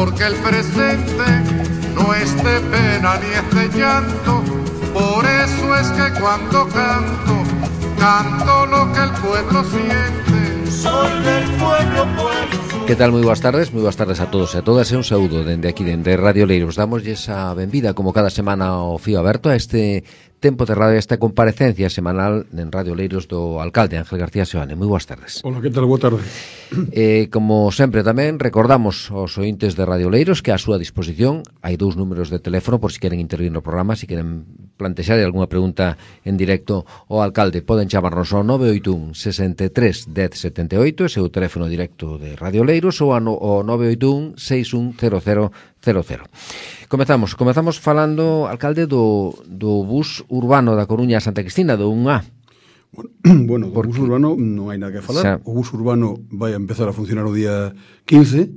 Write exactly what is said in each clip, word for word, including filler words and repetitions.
porque el presente no es de pena ni es de llanto. Por eso es que cuando canto, canto lo que el pueblo siente. Soy del pueblo, pueblo. Que tal? Moi boas tardes, moi boas tardes a todos e a todas e un saúdo dende aquí, dende Radio Leiros. Damoslle esa benvida, como cada semana, ao fío aberto a este tempo de radio, esta comparecencia semanal en Radio Leiros do alcalde Ángel García Seoane. Moi boas tardes. Hola, que tal? Boa tarde. Eh, como sempre tamén, recordamos aos ointes de Radio Leiros que a súa disposición hai dous números de teléfono por si queren intervir no programa, si queren plantexar algunha pregunta en directo ao alcalde. Poden chamarnos ao nove oito un, sesenta e tres, dez, setenta e oito, ese é o teléfono directo de Radio Leiros, ou ao nove oito un, seis un cero cero cero cero. Comezamos, comezamos falando, alcalde, do, do bus urbano da Coruña a Santa Cristina, do un A. Bueno, do bus urbano non hai nada que falar. Xa... O bus urbano vai a empezar a funcionar o día quince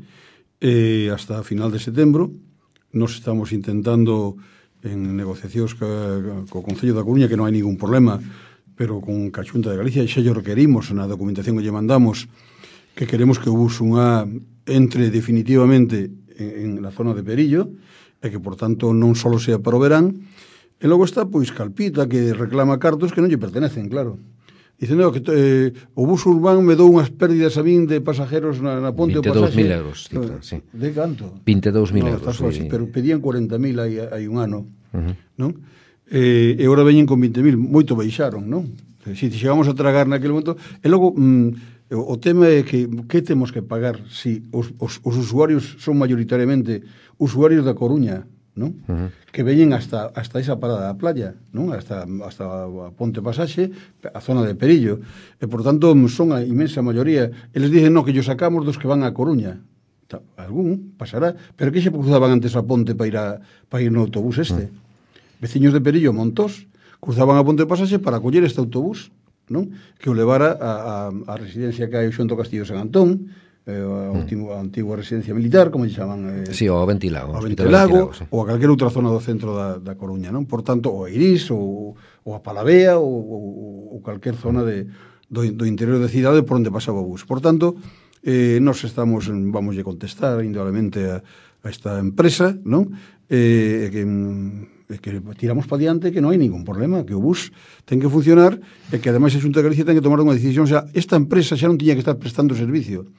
eh, hasta a final de setembro. Nos estamos intentando en negociacións co, co Concello da Coruña, que non hai ningún problema, pero con a Xunta de Galicia, xa lle requerimos na documentación que lle mandamos que queremos que o bus un A entre definitivamente en, en la zona de Perillo, e que, por tanto, non só sea para o verán. E logo está, pois, Calpita, que reclama cartos que non lle pertenecen, claro. Dicen, no, que eh, o bus urbano me dou unhas pérdidas a min de pasajeros na, na ponte o pasaxe. vinte e dous mil euros, cifra, sí. De canto? vinte e dous mil no, euros. Sí. Así, pero pedían cuarenta mil hai, hai un ano, uh-huh. non? Eh, e agora veñen con vinte mil, moito baixaron, non? Si chegamos a tragar naquele momento, e logo... Mm, o tema é que que temos que pagar si os, os, os usuarios son mayoritariamente usuarios da Coruña, non? Uh-huh. Que veñen hasta hasta esa parada da playa, non? Hasta hasta a Ponte Pasaxe, a zona de Perillo. E por tanto son a inmensa maioría. Eles dicen, no, que yo sacamos dos que van a Coruña. Algún pasará, pero que xe cruzaban antes a Ponte para ir a para ir no autobús este. Uh-huh. Veciños de Perillo, Montós, cruzaban a Ponte Pasaxe para coller este autobús, non? Que o levara a, a, a residencia que hai o Xunto Castillo San Antón, eh, a, último, a antigua residencia militar, como lle chaman, eh, sí, o Ventilago, o Ventilago, sí. Ou a calquera outra zona do centro da, da Coruña, non? Por tanto, o Eirís, ou, ou a Palavea, ou, ou, ou calquer zona de, do, do interior da cidade por onde pasaba o bus. Por tanto, eh, nos estamos, vamos a contestar indudablemente a, a esta empresa, non? Eh, que... que tiramos para diante, que non hai ningún problema, que o bus ten que funcionar e que ademais a Xunta de Galicia ten que tomar unha decisión. O sea, esta empresa xa non tiña que estar prestando servicio,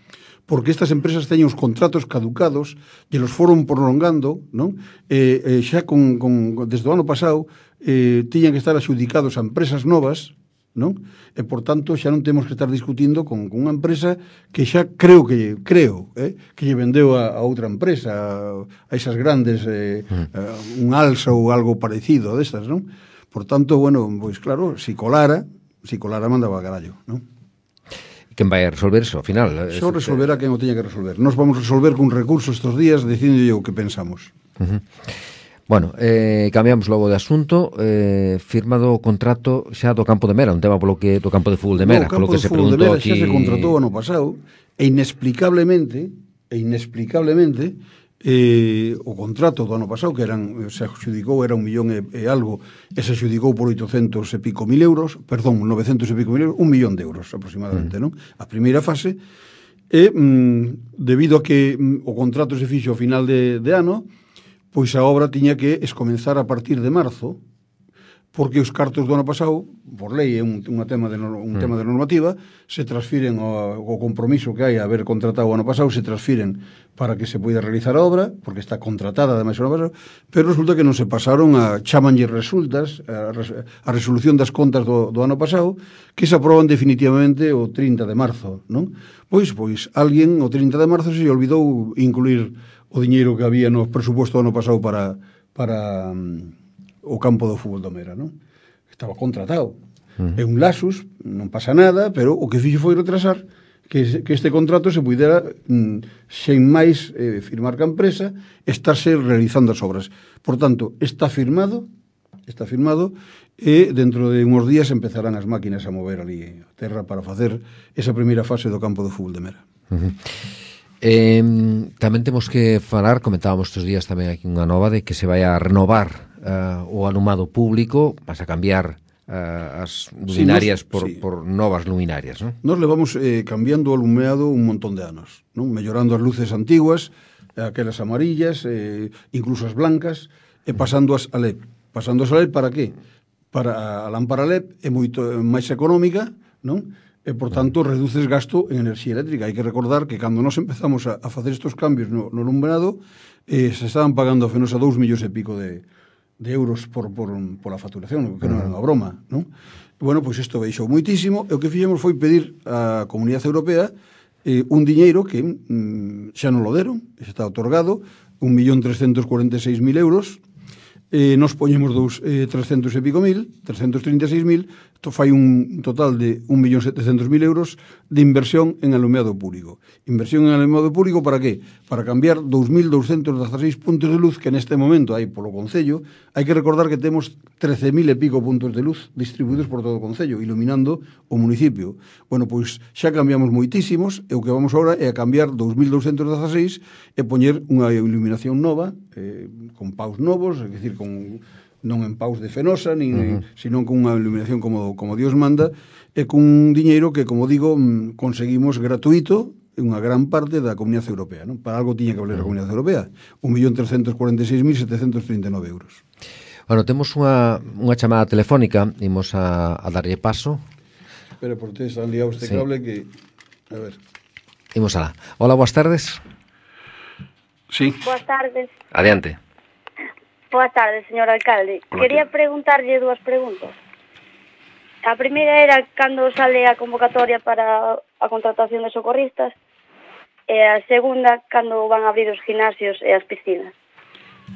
porque estas empresas teñen os contratos caducados e los foron prolongando, non? E, e xa con, con, desde o ano pasado eh, tiñan que estar axudicados a empresas novas, non? E, por tanto, xa non temos que estar discutindo con, con unha empresa que xa creo que creo, eh, que lle vendeu a, a outra empresa, a, a esas grandes, eh, mm. un Alsa ou algo parecido destas, non? Por tanto, bueno, pois claro, si colara, si colara mandaba a carallo, non? Quen vai a resolver eso, ao final? Só resolverá quen o teña que resolver. Nos vamos a resolver con recursos estos días, dicindo o que pensamos. Uh-huh. Bueno, eh, cambiamos logo de asunto, eh, firmado o contrato xa do campo de Mera, un tema polo que do campo de fútbol de Mera, no, polo que se preguntou de Mera aquí. Xa se contratou ano pasado, e inexplicablemente, e inexplicablemente, eh, o contrato do ano pasado, que eran, se adjudicou, era un millón e, e algo, e se adjudicou por oitocentos e pico mil euros, perdón, novecentos e pico mil euros, un millón de euros aproximadamente, mm. non? A primeira fase, e mm, debido a que mm, o contrato se fixo ao final de, de ano, pois a obra tiña que escomenzar a partir de marzo, porque os cartos do ano pasado, por lei, é un, un, tema, de, un mm. tema de normativa, se transfiren ao, ao compromiso que hai a haber contratado o ano pasado, se transfiren para que se poida realizar a obra, porque está contratada ademais o ano pasado, pero resulta que non se pasaron a chamanlle resultas, a, a resolución das contas do, do ano pasado, que se aproban definitivamente o trinta de marzo, non? Pois, pois, alguén o trinta de marzo se olvidou incluir o diñeiro que había no presuposto do ano pasado para, para um, o campo do fútbol do Mera, non? Estaba contratado. Uh-huh. É un lasus, non pasa nada, pero o que fixo foi retrasar que, que este contrato se pudera, mm, sen máis eh, firmar ca empresa, estarse realizando as obras. Por tanto, está firmado, está firmado, e dentro de uns días empezarán as máquinas a mover ali a terra para facer esa primeira fase do campo do fútbol de Mera. Uh-huh. Eh, tamén temos que falar, comentábamos estes días tamén aquí unha nova de que se vai a renovar uh, o alumado público, vas a cambiar uh, as luminarias sí, nos, por, sí. por novas luminarias, non? Nos levamos eh, cambiando o alumeado un montón de anos, non? Mellorando as luces antiguas, aquelas amarillas, eh, incluso as blancas, e pasando as a L E P. Pasando as a L E P para qué? Para a lámpara L E P é moito máis económica, non? E, por tanto, reduces gasto en enerxía eléctrica. Hai que recordar que cando nos empezamos a, a facer estes cambios no, no alumbrado, eh, se estaban pagando a Fenosa dous millóns e pico de, de euros por, por, por a facturación, que non era unha broma, non? Bueno, pois isto baixou moitísimo, e o que fixemos foi pedir á Comunidade Europea eh, un diñeiro que mm, xa non lo deron, xa está otorgado, un millón trescentos cuarenta e seis mil euros, eh, nos poñemos dos eh, trescentos e pico mil, trescentos trinta e seis mil, isto fai un total de un millón setecentos mil euros de inversión en alumeado público. Inversión en alumeado público para qué? Para cambiar dous mil douscentos dezasseis puntos de luz que neste momento hai polo Concello. Hai que recordar que temos trece mil e pico puntos de luz distribuídos por todo o Concello, iluminando o municipio. Bueno, pois xa cambiamos moitísimos, e o que vamos agora é a cambiar dous mil douscentos dezasseis e poñer unha iluminación nova, eh, con paus novos, é dicir, con non en paus de Fenosa, nin, uh-huh. sino con unha iluminación como, como Dios manda, e con un diñeiro que, como digo, conseguimos gratuito unha gran parte da Comunidade Europea, non? Para algo tiña que valer uh-huh. a Comunidade Europea. un millón trescentos cuarenta e seis mil setecentos trinta e nove euros. Bueno, temos unha, unha chamada telefónica, imos a, a darlle paso. Espera, porque están liados este sí. cable que... A ver. Imos alá. Hola, boas tardes. Sí. Boas tardes. Adiante. Boa tarde, señor alcalde. Hola, Quería ¿qué? preguntarlle dúas preguntas. A primeira era cando sale a convocatoria para a contratación de socorristas, e a segunda, cando van a abrir os gimnasios e as piscinas.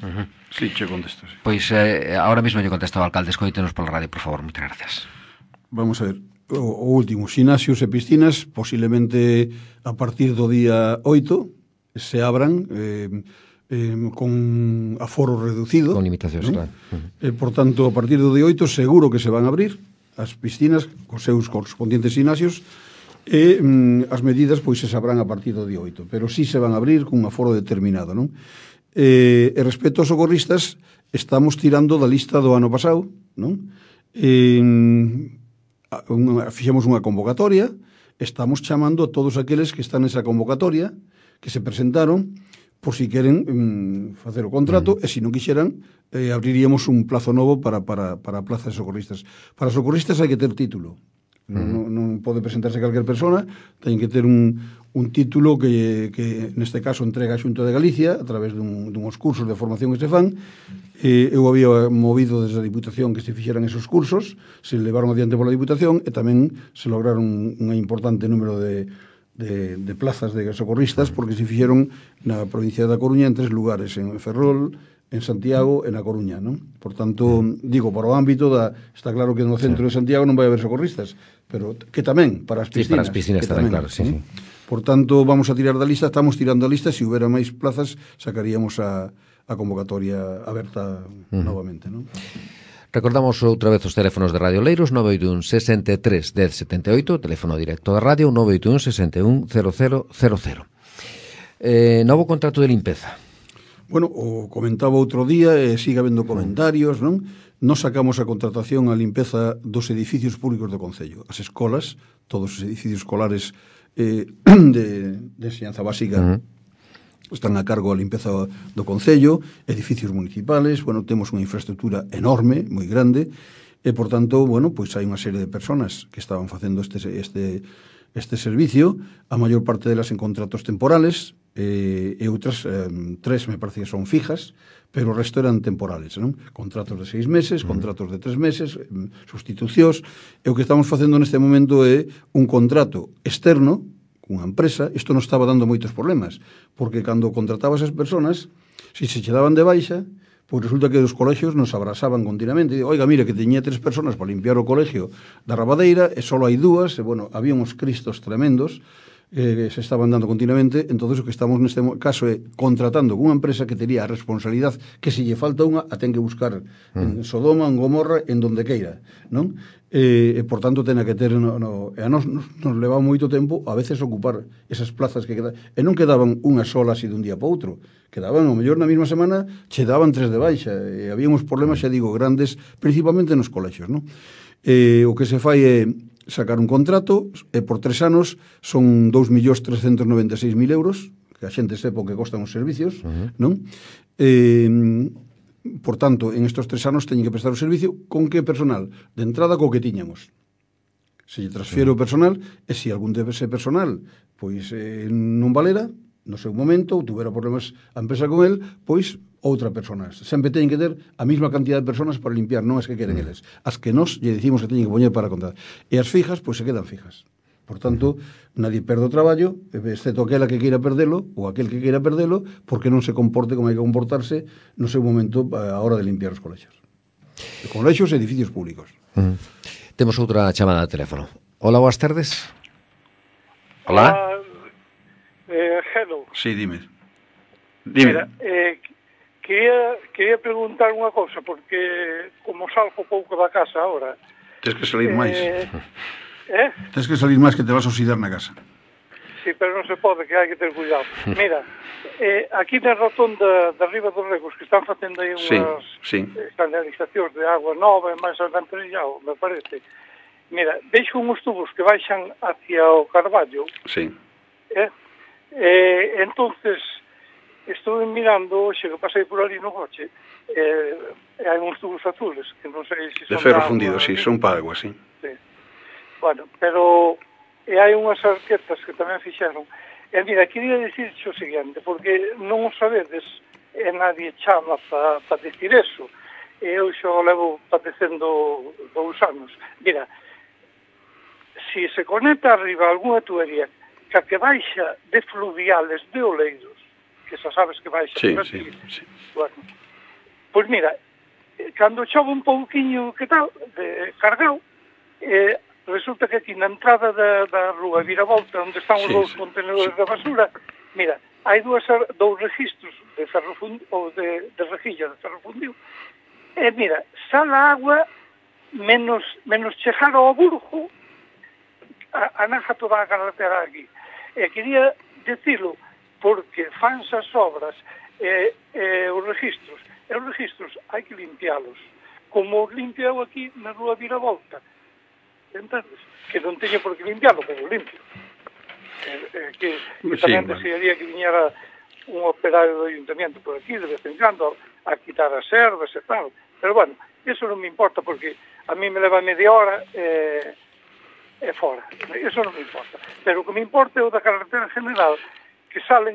Uh-huh. Sí, che contesto. Sí. Pois eh, ahora mesmo lle contesto ao alcalde, escoítenos pola radio, por favor, moitas gracias. Vamos a ver, o, o último, gimnasios e piscinas, posiblemente a partir do día oito se abran... Eh, Eh, con aforo reducido, con limitacións, ¿no? Claro. Uh-huh. Eh, por tanto, a partir do día oito seguro que se van a abrir as piscinas cos seus correspondientes gimnasios, e mm, as medidas pois se sabrán a partir do día oito, pero sí se van a abrir cun aforo determinado, non? Eh, e respecto aos socorristas, estamos tirando da lista do ano pasado, non? Eh, unha, fixemos unha convocatoria, estamos chamando a todos aqueles que están nesa convocatoria, que se presentaron, por si queren mm, facer o contrato, uh-huh. e se non quixeran, eh, abriríamos un plazo novo para, para, para a plaza de socorristas. Para socorristas hai que ter título. Uh-huh. Non, non pode presentarse calquer persona, ten que ter un, un título que, que neste caso entrega a Xunta de Galicia a través dun, dunhos cursos de formación que se fan. Eh, eu había movido desde a Diputación que se fixeran esos cursos, se levaron adiante pola Diputación, e tamén se lograron un importante número de De, de plazas de socorristas, porque se fixeron na provincia da Coruña en tres lugares, en Ferrol, en Santiago e na Coruña, non? Por tanto, digo, para o ámbito da... Está claro que no centro sí. de Santiago non vai haber socorristas, pero que tamén, para as piscinas. Sí, para as piscinas tamén, tamén, claro, sí, ¿no? sí. Por tanto, vamos a tirar da lista, estamos tirando a lista, se houbera máis plazas, sacaríamos a, a convocatoria aberta uh-huh. novamente, non? Recordamos outra vez os teléfonos de Radio Oleiros, nove oito un, sesenta e tres, dez setenta e oito, teléfono directo da radio, nove oito un, sesenta e un, cero cero cero cero. Eh, novo contrato de limpeza. Bueno, o comentaba outro día, e sigue habendo comentarios, non? Nos sacamos a contratación a limpeza dos edificios públicos do Concello. As escolas, todos os edificios escolares eh, de, de enseñanza básica, uh-huh. están a cargo a limpeza do Concello, edificios municipales, bueno, temos unha infraestructura enorme, moi grande, e, por tanto, bueno, pois hai unha serie de personas que estaban facendo este, este, este servicio, a maior parte delas en contratos temporales, eh, e outras, eh, tres me parece que son fijas, pero o resto eran temporales, non? Contratos de seis meses, contratos de tres meses, eh, sustitucións, e o que estamos facendo neste momento é un contrato externo, unha empresa. Isto non estaba dando moitos problemas, porque cando contratabas as personas, se se che daban de baixa, pois resulta que os colexios nos abrasaban continuamente. E, oiga, mira, que teñía tres personas para limpiar o colegio da Rabadeira, e só hai dúas, e, bueno, había uns cristos tremendos, eh, se estaban dando continuamente. Entonces o que estamos neste caso é contratando con unha empresa que tería a responsabilidade que se lle falta unha, a ten que buscar mm. en Sodoma, en Gomorra, en donde queira, non? E, e por tanto, ten que ter no, no, e a nos, nos, nos leva moito tempo a veces ocupar esas plazas que quedan, e non quedaban unha sola así dun día para outro, quedaban, ao mellor na mesma semana che daban tres de baixa, e había uns problemas, xa digo, grandes, principalmente nos colexios, non? E o que se fai é sacar un contrato, e por tres anos son dous millóns trescentos noventa e seis mil euros que a xente sepa o que costan os servicios, uh-huh. non? Eh, por tanto, en estes tres anos teñen que prestar o servicio con que personal? De entrada, co que tiñamos. Se lle transfiere o personal, e se algún dese personal pois eh, non valera, no seu momento, ou tuvera problemas a empresa con el, pois outra persona. Sempre teñen que ter a mesma cantidad de personas para limpiar, non as que queren eles. As que nos lle dicimos que teñen que poñer para contar. E as fijas, pois se quedan fijas. Por tanto, nadie perde o traballo, exceto aquela que queira perdelo, ou aquel que queira perdelo, porque non se comporte como hai que comportarse no seu momento a hora de limpiar os colexios. Os colexios e edificios públicos. Uh-huh. Temos outra chamada de teléfono. Hola, boas tardes. Hola. Hola, eh, hello. Sí, dime. Dime. Mira, eh, quería, quería preguntar unha cousa, porque como salgo pouco da casa ahora... Tens que salir máis. Eh, eh? Tens que salir máis que te vas a oxidar na casa. Sí, pero non se pode, que hai que ter cuidado. Mira, eh, aquí na rotonda de arriba dos Regos, que están facendo aí unhas sí, sí. canalizacións de agua nova e máis alcantarillado, me parece. Mira, deixo uns tubos que baixan hacia o Carballo. Sí. Eh? Eh, entonces, estuve mirando, xe que pasei por ali no coche, eh, hai uns tubos azules, que non sei se son... De ferro fundido, sí, son para agua, sí. Sí. Bueno, pero e hai unhas arquetas que tamén fixeron. E mira, quería dicir o seguinte, porque non o sabedes, e nadie chama para pa decir eso. E eu xo levo padecendo dous anos. Mira, si se conecta arriba algunha tubería que a que baixa de fluviales de Oleiros, que xa sabes que baixa sí, por aquí, sí, sí. Bueno, pois mira, cando chove un pouquiño que tal, de cargado, eh, resulta que aquí na entrada da, da rúa Viravolta, onde están os sí, dous sí, contenedores sí. da basura, mira, hai dúas, dous registros de ferro fundido, ou de, de rejilla de ferro fundido, e mira, sale a agua menos, menos chegar ao Burgo, a, a naja toda a carretera aquí. E quería decirlo, porque fanse as obras e, e os registros, e os registros hai que limpiálos, como os limpiou aquí na rúa Viravolta. Entendes? Que non teño por que limpiarlo, pero limpio. Eh, eh, que, que sí, tamén bueno. desearía que viñera un operario do ayuntamiento por aquí, de vez en cando, a quitar as ervas e tal. Pero bueno, eso non me importa, porque a mí me leva media hora e eh, fora. Eso non me importa. Pero o que me importa é o da carretera general, que salen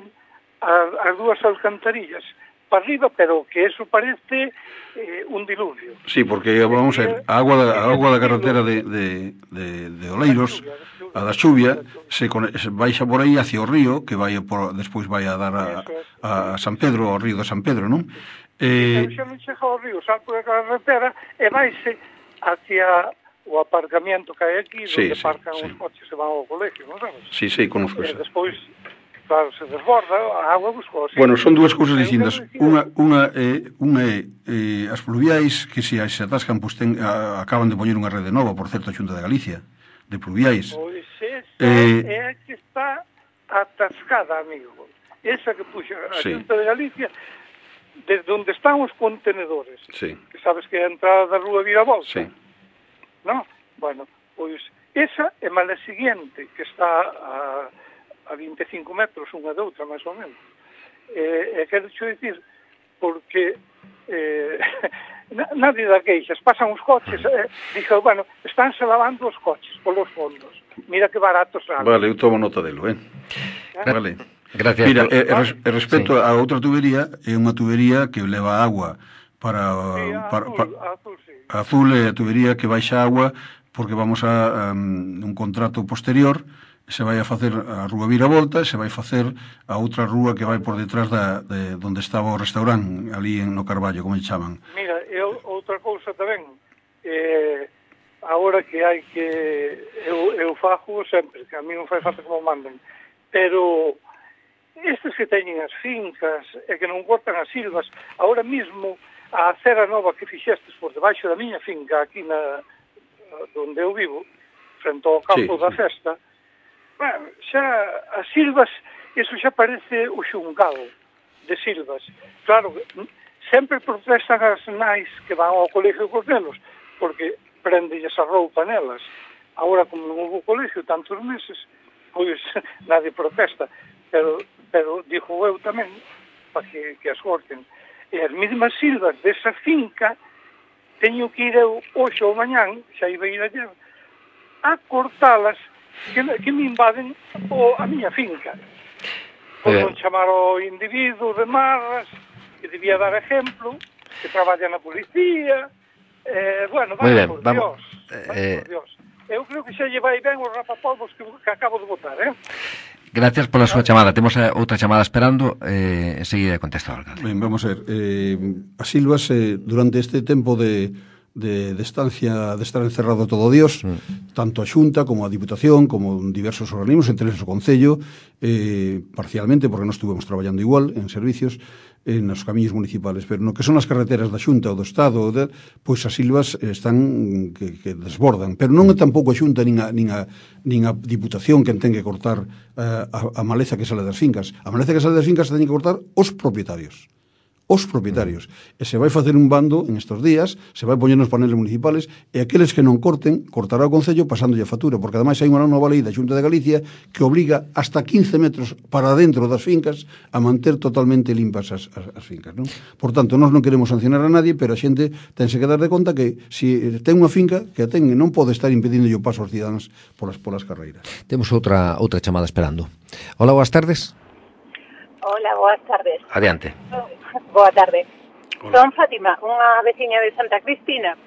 as, as dúas alcantarillas para arriba, pero que eso parece eh, un diluvio. Sí, porque vamos a ver, a agua da, a agua da carretera de, de, de, de Oleiros, a da chuvia, se, se baixa por aí hacia o río, que vai por, despois vai a dar a, a San Pedro, ao río de San Pedro, non? Eh, xa non chega ao río, salto da carretera e vaise hacia o aparcamiento que hai aquí, sí, onde sí, aparcan sí. os coches e van ao colegio, non sabes? Sí, sí, conozco E eso. despois, claro, se desborda, a agua buscou así. Bueno, son dúas cousas distintas. Unha, unha é, unha é eh, as pluviais que se, se atascan, pues, ten, a, acaban de poñer unha rede nova, por certo, a Xunta de Galicia, de pluviais. Pois esa eh, é a que está atascada, amigo. Esa que puxa a sí. Xunta de Galicia, desde onde están os contenedores, sí. que sabes que é a entrada da rúa Viravolta. Sí. No? Bueno, pois esa é má la siguiente, que está a, a veinticinco metros unha de outra, máis ou menos. E, e quero xo dicir, porque eh, nadie dá queixas, pasan os coches, eh, dixo, bueno, estánse lavando os coches polos fondos. Mira que barato sale. Vale, eu tomo nota delo, eh? ¿Eh? Vale. Gracias. Mira, por... e, e, e respecto sí. a outra tubería, é unha tubería que leva agua para... Sí, a para, azul, para a azul, sí. A azul é a tubería que baixa agua porque vamos a um, un contrato posterior, se vai a facer a rúa Viravolta, se vai facer a outra rúa que vai por detrás da, de onde estaba o restaurante, ali en no Carballo, como chaman. Mira, e outra cousa tamén, eh, agora que hai que... Eu, eu fajo sempre, que a mí non fai falta como manden, pero estes que teñen as fincas e que non cortan as silvas, agora mesmo a acera nova que fixestes por debaixo da miña finca, aquí na onde eu vivo, frente ao campo sí, da festa, bueno, xa as silvas, iso xa parece o xungado de silvas. Claro, sempre protestan as nais que van ao colegio cos nenos, porque prendelles a roupa nelas. Agora, como non houve colegio tantos meses, pois nadie protesta. Pero pero digo eu tamén, para que, que as corten. E as mesmas silvas desa finca, teño que ir eu hoxe ou mañán, xa iba a ir ayer, a cortalas, que, que me invaden o, a miña finca. Por non chamar o individuo de marras, que debía dar exemplo, que traballa na policía, eh, bueno, vaya por Dios, vaya por Dios. Eu creo que xa lle vai ben os rapapolvos que, que acabo de votar, eh? Gracias pola súa chamada. Temos outra chamada esperando, eh, enseguida contesta o alcalde. Ben, vamos a ver, eh, as silvas eh, durante este tempo de, de, de estancia, de estar encerrado todo Dios, mm. tanto a Xunta como a Diputación, como diversos organismos, entre eles o Concello, eh, parcialmente, porque non estuvemos traballando igual en servicios, en os camiños municipales, pero no que son as carreteras da Xunta ou do Estado, de, pois as silvas están que, que desbordan, pero non é tampouco a Xunta nin a, nin a, nin a Diputación quen ten que cortar uh, a, a maleza que sale das fincas. A maleza que sale das fincas ten que cortar os propietarios. Os propietarios. E se vai facer un bando en estos días, se vai poñer nos paneles municipales, e aqueles que non corten, cortará o Concello pasándolle a factura, porque ademais hai unha nova lei da Xunta de Galicia que obriga hasta quince metros para dentro das fincas a manter totalmente limpas as, as, as fincas, non? Por tanto, nós non queremos sancionar a nadie, pero a xente tense que dar de conta que se ten unha finca, que a ten, non pode estar impedindo o paso aos cidadáns polas, polas carreiras. Temos outra outra chamada esperando. Hola, boas tardes. Hola, boas tardes. Adiante. Boa tarde. Hola. Son Fátima, unha veciña de Santa Cristina,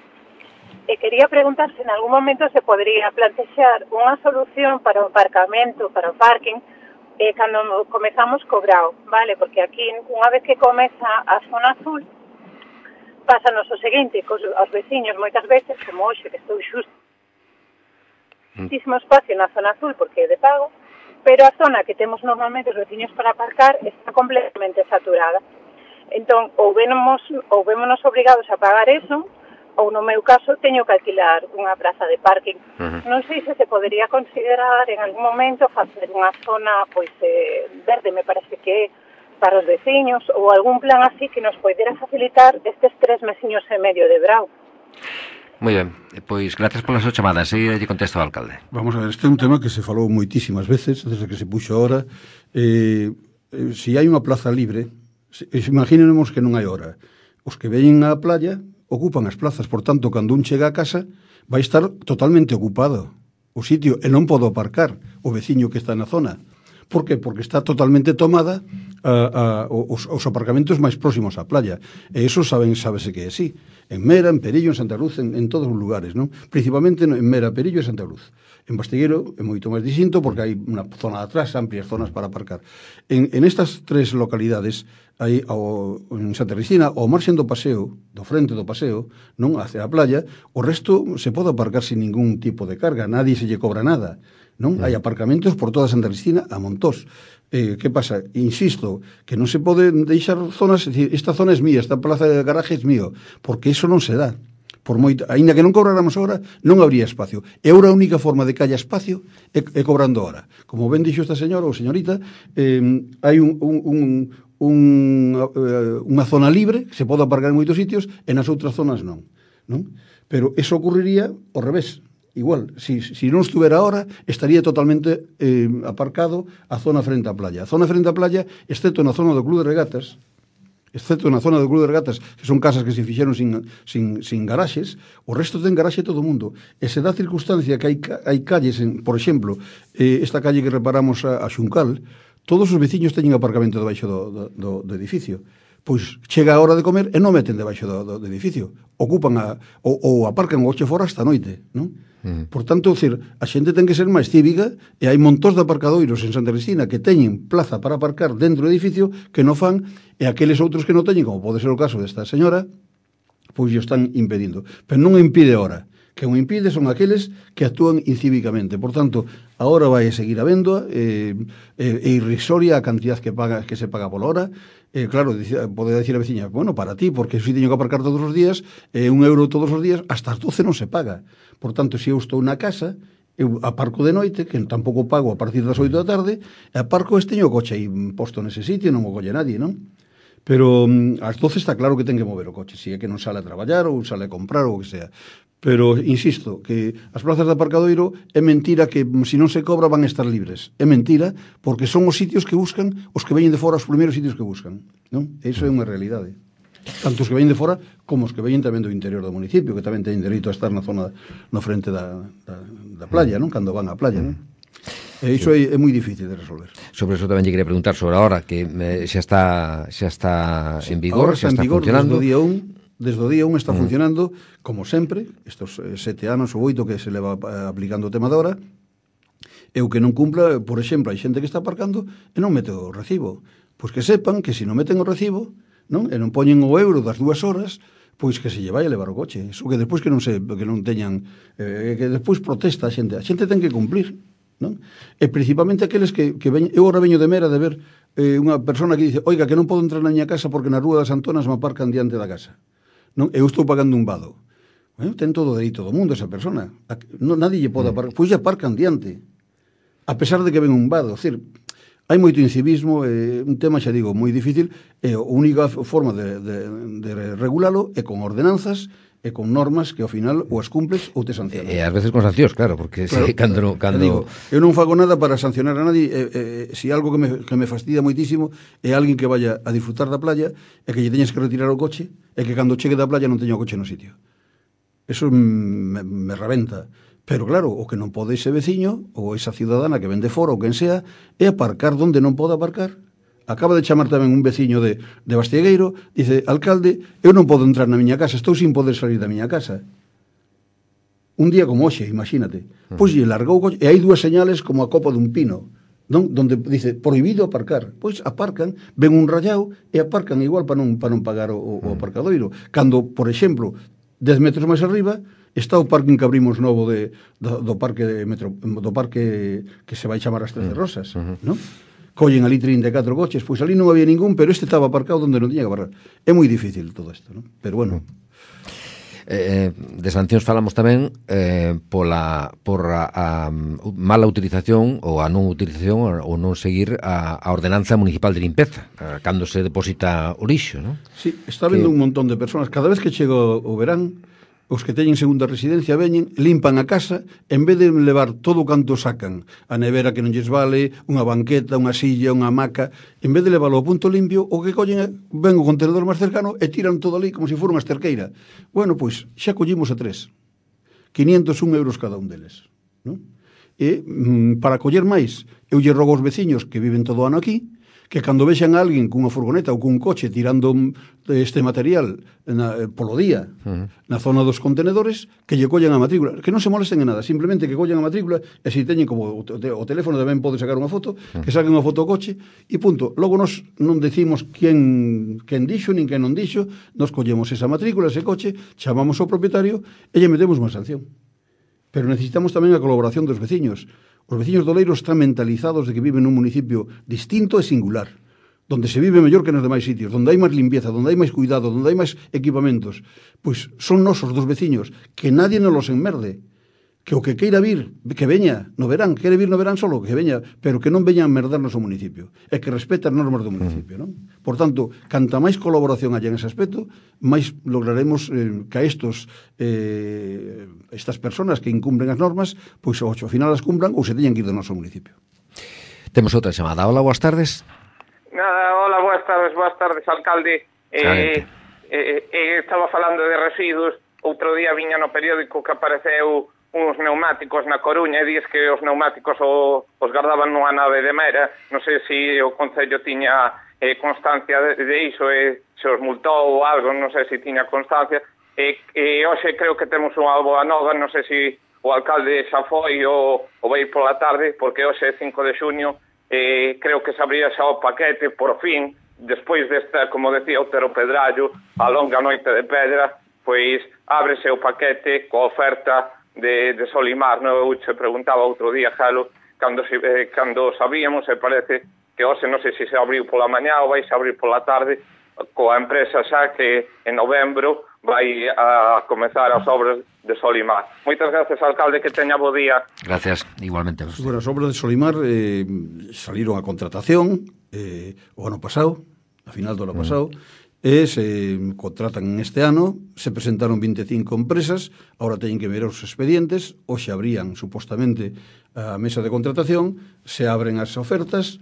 e quería preguntar se en algún momento se podría plantexar unha solución para o aparcamento, para o parking, eh, cando comezamos co Grao, vale? Porque aquí, unha vez que comeza a zona azul, pásanos o seguinte, cos os veciños moitas veces, como hoxe, que estou xusto, muchísimo espacio na zona azul, porque é de pago, pero a zona que temos normalmente os veciños para aparcar está completamente saturada. Entón, ou vémonos, ou vémonos obrigados a pagar eso, ou no meu caso teño que alquilar unha praza de parking. Uh-huh. Non sei se se podería considerar en algún momento facer unha zona pois eh, verde, me parece que para os veciños, ou algún plan así que nos poidera facilitar estes tres mesiños e medio de Brao. Moi ben, pois gracias pola súa chamada. Seguida lle contesto ao alcalde. Vamos a ver, este é un tema que se falou moitísimas veces desde que se puxo ahora. Eh, eh, se hai unha plaza libre, se, imaginemos que non hai hora. Os que veñen á playa ocupan as plazas, por tanto, cando un chega a casa vai estar totalmente ocupado o sitio e non podo aparcar o veciño que está na zona. Por que? Porque está totalmente tomada a, a, os, os aparcamentos máis próximos á playa. E iso saben, sábese que é así. En Mera, en Perillo, en Santa Cruz, en, en todos os lugares, non? Principalmente en Mera, Perillo e Santa Cruz. En Bastiguero é moito máis distinto porque hai unha zona de atrás, amplias zonas para aparcar. En, en estas tres localidades, hai ao, en Santa Cristina, ao marxen do paseo, do frente do paseo, non hacia a playa, o resto se pode aparcar sin ningún tipo de carga, nadie se lle cobra nada, non? Hai aparcamentos por toda Santa Cristina a montós. Eh, que pasa? Insisto, que non se pode deixar zonas, es decir, esta zona é mía, esta plaza de garaje é mío, porque iso non se dá. Por moito, aínda que non cobráramos ahora, non habría espacio. E ahora a única forma de que haya espacio é, é cobrando ahora. Como ben dixo esta señora ou señorita, eh, hai un, un, un, un, unha zona libre que se pode aparcar en moitos sitios e nas outras zonas non. non? Pero eso ocurriría ao revés. Igual, si, si non estuvera ahora, estaría totalmente eh, aparcado a zona frente á playa. A zona frente á playa, excepto na zona do Club de Regatas, excepto na zona do Club de Regatas, que son casas que se fixeron sin, sin, sin garaxes, o resto ten garaxe todo o mundo. E se dá circunstancia que hai, hai calles, en, por exemplo, eh, esta calle que reparamos a, a Xuncal, todos os veciños teñen aparcamento debaixo do, do, do, do edificio. Pois chega a hora de comer e non meten debaixo do, do, do edificio. Ocupan a, ou, ou aparcan o coche fora hasta a noite, non? Mm. Por tanto, decir, a xente ten que ser máis cívica e hai montóns de aparcadoiros en Santa Cristina que teñen plaza para aparcar dentro do edificio que non fan e aqueles outros que non teñen, como pode ser o caso desta señora, pois o están impedindo. Pero non impide ahora. Que o impide son aqueles que actúan incívicamente. Por tanto, ahora vai seguir habendo eh, eh, e irrisoria a cantidad que paga que se paga pola hora. Eh, claro, pode decir a veciña, bueno, para ti, porque se teño que aparcar todos os días, eh, un euro todos os días, hasta as doce non se paga. Por tanto, se eu estou na casa, eu aparco de noite, que tampouco pago a partir das oito da tarde, e aparco este teño o coche aí posto nese sitio, non o colle nadie, non? Pero um, ás doce está claro que ten que mover o coche, se é que non sale a traballar ou sale a comprar ou o que sea. Pero, insisto, que as plazas de aparcadoiro é mentira que se non se cobra van a estar libres. É mentira porque son os sitios que buscan os que veñen de fora, os primeiros sitios que buscan, non? Iso é unha realidade. Tanto os que veñen de fora como os que veñen tamén do interior do municipio, que tamén teñen dereito a estar na zona no frente da, da, da playa, non? Cando van á playa, non? E iso é, é moi difícil de resolver. Sobre eso tamén lle quería preguntar sobre a hora que eh, xa está xa está sí, en vigor, xa está, está vigor, funcionando. Desde o día un, desde o día un está mm. funcionando como sempre, estos eh, sete anos ou oito que se leva eh, aplicando o tema da hora. E o que non cumpla, por exemplo, hai xente que está aparcando e non mete o recibo. Pois que sepan que se non meten o recibo, non? E non poñen o euro das dúas horas, pois que se lle vai a levar o coche. Iso que despois que non se que non teñan eh, que despois protesta a xente. A xente ten que cumplir. Non? E principalmente aqueles que, que veñen, eu ahora veño de Mera de ver eh, unha persona que dice, oiga, que non podo entrar na miña casa porque na Rúa das Antonas me aparcan diante da casa, non? Eu estou pagando un vado. Bueno, ten todo o dereito do mundo esa persona, a, non, nadie lle pode aparcar, pois lle aparcan diante a pesar de que ven un vado. É dicir, hai moito incivismo, eh, un tema, xa digo, moi difícil, e a única forma de, de, de regulalo é con ordenanzas e con normas que ao final ou as cumples ou te sancionan. E ás veces con sancións, claro, porque claro, se, cando, no, cando... Digo, eu non fago nada para sancionar a nadie, e, e, se algo que me, que me fastidia moitísimo é alguén que vaya a disfrutar da playa e que lle teñas que retirar o coche e que cando chegue da playa non teña o coche no sitio. Eso me, me rebenta. Pero claro, o que non pode ese veciño ou esa ciudadana que vende fora ou quen sea é aparcar donde non pode aparcar. Acaba de chamar tamén un veciño de, de Bastiegueiro, dice, alcalde, eu non podo entrar na miña casa, estou sin poder salir da miña casa. Un día como hoxe, imagínate. Pois lle largou o coche, e hai dúas señales como a copa dun pino, non? Donde dice, prohibido aparcar. Pois aparcan, ven un rayao e aparcan igual para non, para non pagar o, o aparcadoiro. Cando, por exemplo, dez metros máis arriba, está o parking que abrimos novo de, do, do parque de metro, do parque que se vai chamar as Trece Rosas, uh-huh. non? Collen ali trinta e catro coches, pois ali non había ningún, pero este estaba aparcado onde non tiña que aparcar. É moi difícil todo isto, non? Pero bueno. Eh, de sancións falamos tamén eh, pola, por a, a mala utilización ou a non utilización ou non seguir a, a ordenanza municipal de limpeza a, cando se deposita o lixo, non? Sí, está vendo que... un montón de personas. Cada vez que chega o verán, os que teñen segunda residencia veñen, limpan a casa, en vez de levar todo o canto sacan, a nevera que non lles vale, unha banqueta, unha silla, unha hamaca, en vez de levarlo ao punto limpio, o que collen, ven o contenedor máis cercano e tiran todo ali como se fora unha esterqueira. Bueno, pois, xa collimos a tres. quinientos un euros cada un deles. Non? E, mm, para coller máis, eu lle rogo aos veciños que viven todo o ano aquí, que cando vexan a alguén cunha furgoneta ou cun coche tirando este material na, polo día uh-huh. na zona dos contenedores, que lle collen a matrícula, que non se molesten en nada, simplemente que collen a matrícula e se teñen como o, te, o teléfono tamén pode sacar unha foto, uh-huh. que saquen unha foto ao coche e punto. Logo nos non decimos quen, quen dixo nin quen non dixo, nos collemos esa matrícula, ese coche, chamamos ao propietario e lle metemos unha sanción. Pero necesitamos tamén a colaboración dos veciños. Os veciños do Leiro están mentalizados de que viven nun municipio distinto e singular, donde se vive mellor que nos demais sitios, donde hai máis limpieza, donde hai máis cuidado, donde hai máis equipamentos. Pois son nosos dos veciños, que nadie nos los enmerde, que o que queira vir, que veña no verán, quere vir no verán solo, que veña, pero que non veña a merdarnos o municipio, e que respete as normas do municipio, non? Por tanto, canta máis colaboración haya en ese aspecto, máis lograremos eh, que estos eh, estas personas que incumplen as normas, pois ao final as cumplan ou se teñan que ir do noso municipio. Temos outra chamada. Hola, boas tardes. Nada, hola, boas tardes, boas tardes, alcalde. Eh, eh, eh, estaba falando de residuos, outro día viña no periódico que apareceu uns pneumáticos na Coruña e dis que os pneumáticos o, os guardaban nunha nave de Mera. Non sei se o Concello tiña eh, constancia de, de iso e se os multou ou algo, non sei se tiña constancia. E, e hoxe creo que temos unha boa nova, non sei se o alcalde xa foi ou, ou vai pola tarde, porque hoxe é cinco de xuño, e creo que se abría xa o paquete, por fin, despois desta, como decía Otero Pedrallo, a longa noite de pedra, pois ábrese o paquete coa oferta de, de Solimar. No, eu che preguntaba outro día, Jalo, cando, eh, cando sabíamos, e parece que hoxe non sei se se abriu pola mañá ou vai se abrir pola tarde, coa empresa xa que en novembro vai a comezar as obras de Solimar. Moitas gracias, alcalde, que teña bo día. Gracias, igualmente. Bueno, as obras de Solimar eh, saliron a contratación eh, o ano pasado, a final do ano pasado, mm. e se contratan este ano, se presentaron vinte e cinco empresas, agora teñen que ver os expedientes, hoxe abrían supostamente a mesa de contratación, se abren as ofertas,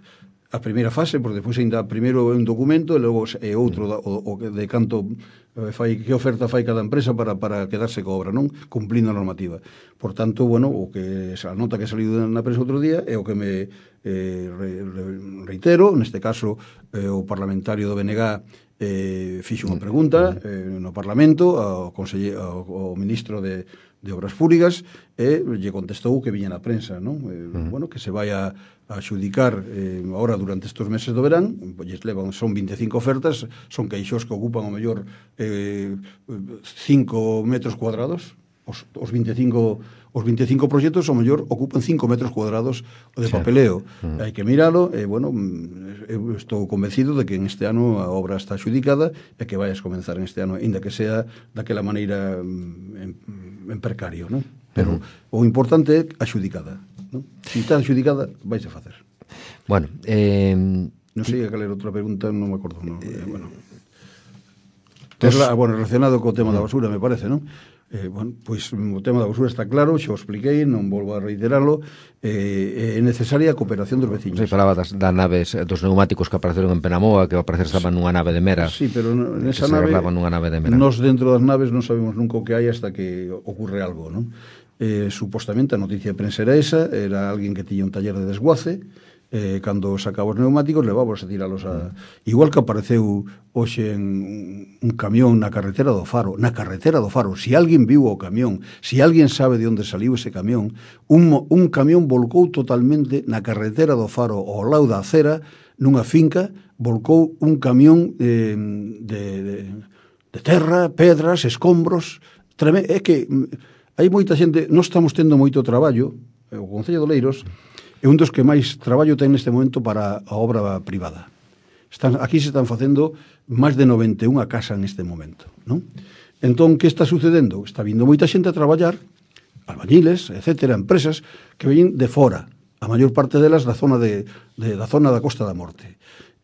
a primeira fase, porque depois ainda primeiro é un documento e logo é outro o, o de canto fai, que oferta fai cada empresa para, para quedarse co obra, non? Cumplindo a normativa. Por tanto, bueno, o que a nota que saliu na prensa outro día é o que me eh, re, re, reitero, neste caso eh, o parlamentario do B N G eh, fixo unha pregunta eh, no Parlamento ao, ao, ao ministro de de Obras Públicas e lle contestou que viña na prensa, non? Eh, uh-huh. Bueno, que se vai a, a xudicar eh, ahora durante estes meses do verán, pues levan, son vinte e cinco ofertas, son queixos que ocupan o mellor eh, cinco metros cuadrados, os, os vinte e cinco os vinte e cinco proxectos ao mellor ocupan cinco metros cuadrados de papeleo. Sí. Uh-huh. Hai que miralo e, bueno, eu estou convencido de que en este ano a obra está xudicada e que vai a comenzar en este ano, ainda que sea daquela maneira en, en precario, non? Pero uh-huh. o importante é a xudicada, non? Se está xudicada, vais a facer. Bueno, eh... non sei a cal era outra pregunta, non me acordo, non. Eh, bueno. Tos... bueno, relacionado co tema uh-huh. da basura, me parece, non? Eh, bueno, pois o tema da basura está claro, xa o expliquei, non volvo a reiterarlo. Eh, é necesaria a cooperación dos veciños. Se falaba das, das naves, dos neumáticos que apareceron en Penamoa, que ao parecer estaban nunha nave de Mera. Sí, pero nesa nave, nunha nave de Mera. Nos dentro das naves non sabemos nunca o que hai hasta que ocurre algo, non? Eh, supostamente a noticia de prensa era esa, era alguén que tiña un taller de desguace, eh, cando sacaba os neumáticos levábos a tiralos a... Igual que apareceu hoxe en un camión na carretera do Faro, na carretera do Faro, si alguén viu o camión, si alguén sabe de onde saliu ese camión, un, un camión volcou totalmente na carretera do Faro ao lado da acera, nunha finca, volcou un camión eh, de, de, de terra, pedras, escombros, treme... é que hai moita xente, non estamos tendo moito traballo, o Concello de Oleiros é un dos que máis traballo ten neste momento para a obra privada. Están, aquí se están facendo máis de noventa e unha casa neste momento, non? Entón, que está sucedendo? Está vindo moita xente a traballar, albañiles, etcétera, empresas que veñen de fora, a maior parte delas da zona de, de da zona da Costa da Morte.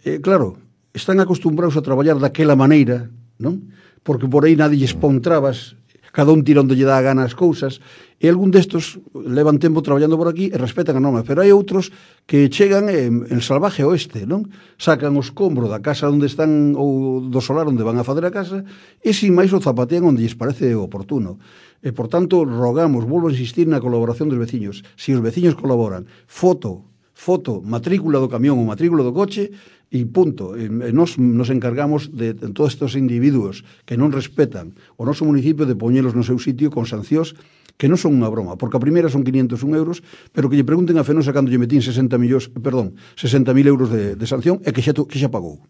Eh, claro, están acostumbrados a traballar daquela maneira, non? Porque por aí nadie lles pon trabas, cada un tira onde lle dá a gana as cousas, e algún destos levan tempo traballando por aquí e respetan a norma, pero hai outros que chegan en, en salvaje oeste, non? Sacan o escombro da casa onde están, ou do solar onde van a fazer a casa, e sin máis o zapatean onde lles parece oportuno. E, por tanto, rogamos, volvo a insistir na colaboración dos veciños. Se os veciños colaboran, foto, foto, matrícula do camión ou matrícula do coche, e punto. E nos, nos encargamos de, de todos estes individuos que non respetan o noso municipio de poñelos no seu sitio con sancións que non son unha broma, porque a primeira son quinientos un euros, pero que lle pregunten a Fenosa cando lle metín sesenta millóns, perdón, sesenta mil euros de, de sanción e que xa, que xa pagou,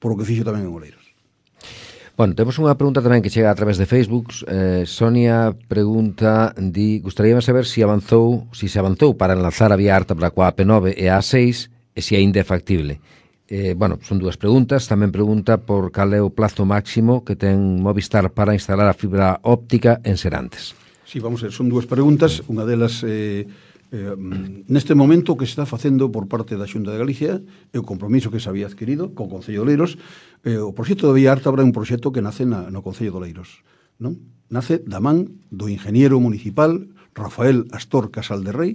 por o que fixo tamén en Oleiros. Bueno, temos unha pregunta tamén que chega a través de Facebook. Eh, Sonia pregunta, di, gustaríame saber se si avanzou, si se avanzou para enlazar a vía Ártabra coa A P nove e a A seis e se aínda é factible. Eh, bueno, son dúas preguntas. Tamén pregunta por cal é o plazo máximo que ten Movistar para instalar a fibra óptica en Serantes. Sí, vamos a ver, son dúas preguntas. Unha delas, eh, eh, neste momento, o que se está facendo por parte da Xunta de Galicia é o compromiso que se había adquirido co Concello de Oleiros. Eh, o proxecto de Vía Ártabra é un proxecto que nace na, no Concello de Oleiros, non? Nace da man do ingeniero municipal Rafael Astor Casal de Rei,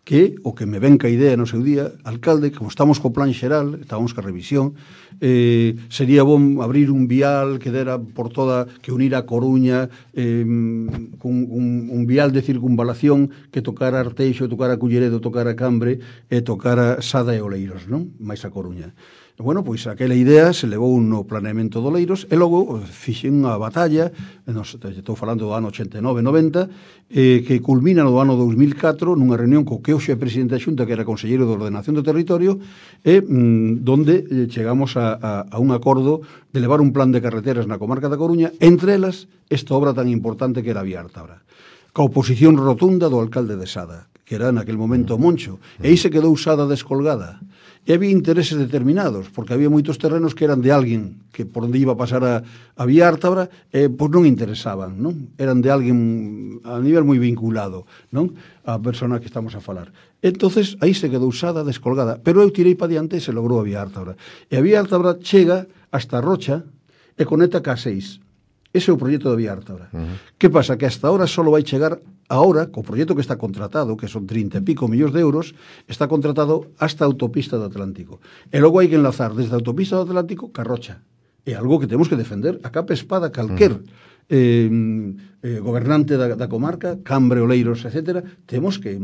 que o que me ven ca idea no seu día, alcalde, como estamos co plan xeral, estábamos ca revisión, eh, sería bom abrir un vial que dera por toda, que unira a Coruña, eh, un, un, un vial de circunvalación que tocara Arteixo, tocara Culleredo, tocara Cambre e tocara Sada e Oleiros, non? Mais a Coruña. Bueno, pois aquela idea se levou no planeamento do Oleiros e logo fixen unha batalla, nos, estou falando do ano ochenta e nove noventa, eh, que culmina no ano dous mil catro nunha reunión co que hoxe é presidente da Xunta, que era conselleiro de Ordenación do Territorio, e mm, donde eh, chegamos a, a, a un acordo de levar un plan de carreteras na comarca da Coruña, entre elas esta obra tan importante que era a Vía Ártabra, ca oposición rotunda do alcalde de Sada, que era naquel momento Moncho, e aí se quedou Sada descolgada. E había intereses determinados, porque había moitos terrenos que eran de alguén que por onde iba a pasar a, a Vía Ártabra, eh, pois non interesaban, non? Eran de alguén a nivel moi vinculado, non? A persona que estamos a falar. Entonces, aí se quedou Sada descolgada, pero eu tirei para diante e se logrou a Vía Ártabra. E a Vía Ártabra chega hasta Rocha, e conecta ca seis. Ese é o proxecto da Vía Ártabra. Uh-huh. Que pasa? Que hasta ahora só vai chegar ahora, co proxecto que está contratado, que son trinta e pico millóns de euros, está contratado hasta a autopista do Atlántico. E logo hai que enlazar desde a autopista do Atlántico ca Rocha. É algo que temos que defender a capa espada calquer uh-huh. eh, eh, gobernante da, da comarca, Cambre, Oleiros, etcétera, temos que,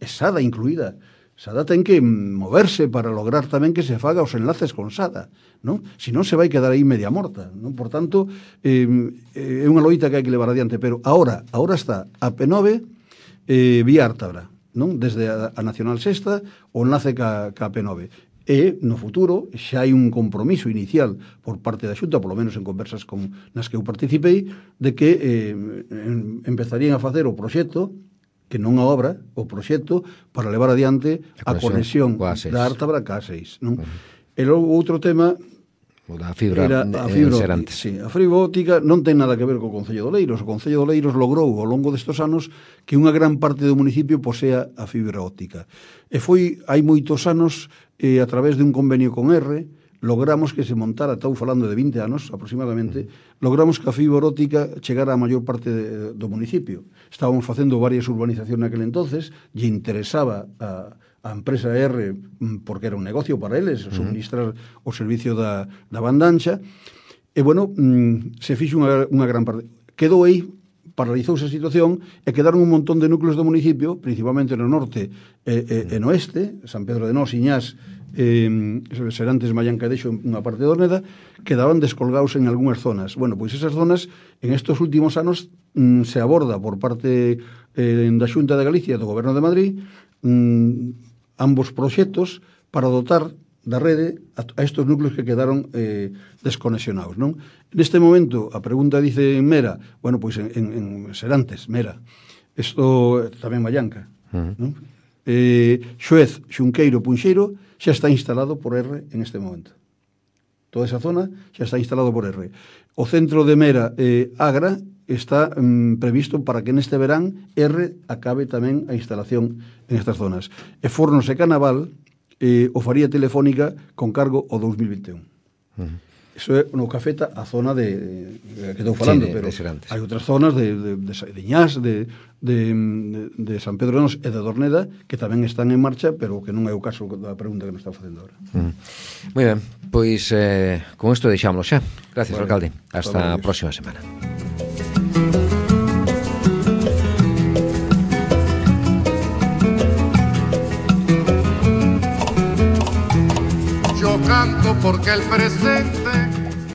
é Sada incluída, Sada ten que moverse para lograr tamén que se faga os enlaces con Sada, non? Si non se vai quedar aí media morta, non? Por tanto, eh, é unha loita que hai que levar adiante, pero ahora, ahora está a P nove eh, Vía Ártabra, non? Desde a, a Nacional Sexta o enlace ca, ca P nove. E, no futuro, xa hai un compromiso inicial por parte da Xunta, polo menos en conversas con, nas que eu participei, de que eh, en, empezarían a facer o proxecto, que non a obra, o proxecto para levar adiante a conexión da Ártabra ca seis, non? Uh-huh. E logo outro tema o da fibra, era a fibra óptica. Sí, a fibra óptica non ten nada que ver co Concello de Oleiros. O Concello de Oleiros logrou ao longo destes anos que unha gran parte do municipio posea a fibra óptica. E foi hai moitos anos eh, a través de un convenio con R logramos que se montara, estou falando de vinte anos aproximadamente, logramos que a fibra óptica chegara a maior parte de, do municipio. Estábamos facendo varias urbanizacións naquele entonces, lle interesaba a, a empresa R, porque era un negocio para eles, suministrar o servicio da, da banda ancha, e, bueno, se fixo unha, unha gran parte. Quedou aí, paralizouse a situación, e quedaron un montón de núcleos do municipio, principalmente no norte e, e, e no oeste, San Pedro de Nós, Iñás, eh, Serantes, Mallanca e Deixo, unha parte de Orneda, quedaban descolgados en algunhas zonas. Bueno, pois esas zonas, en estos últimos anos, mm, se aborda por parte eh, da Xunta de Galicia e do Goberno de Madrid mm, ambos proxectos para dotar da rede a, a estos núcleos que quedaron eh, desconexionados, non? Neste momento, a pregunta dice en Mera, bueno, pois en, en, en Serantes, Mera, isto tamén Mallanca, uh-huh. non? Eh, Xoez, Xunqueiro, Punxeiro, xa está instalado por R en este momento. Toda esa zona xa está instalado por R. O centro de Mera eh, Agra está mm, previsto para que neste verán R acabe tamén a instalación en estas zonas. E Fornos e Canaval eh, o faría Telefónica con cargo o dos mil vinte e un. Uh-huh. Eso é no que afecta a zona de, de que estou falando, sí, de, pero de hai outras zonas de, de, de, de Iñás, de, de, de San Pedro de Nós e de Dorneda que tamén están en marcha, pero que non é o caso da pregunta que nos está facendo agora. Uh-huh. Moi ben, pois eh, con isto deixámoslo xa. Gracias, vale, alcalde. Hasta a próxima semana. Yo canto porque el presente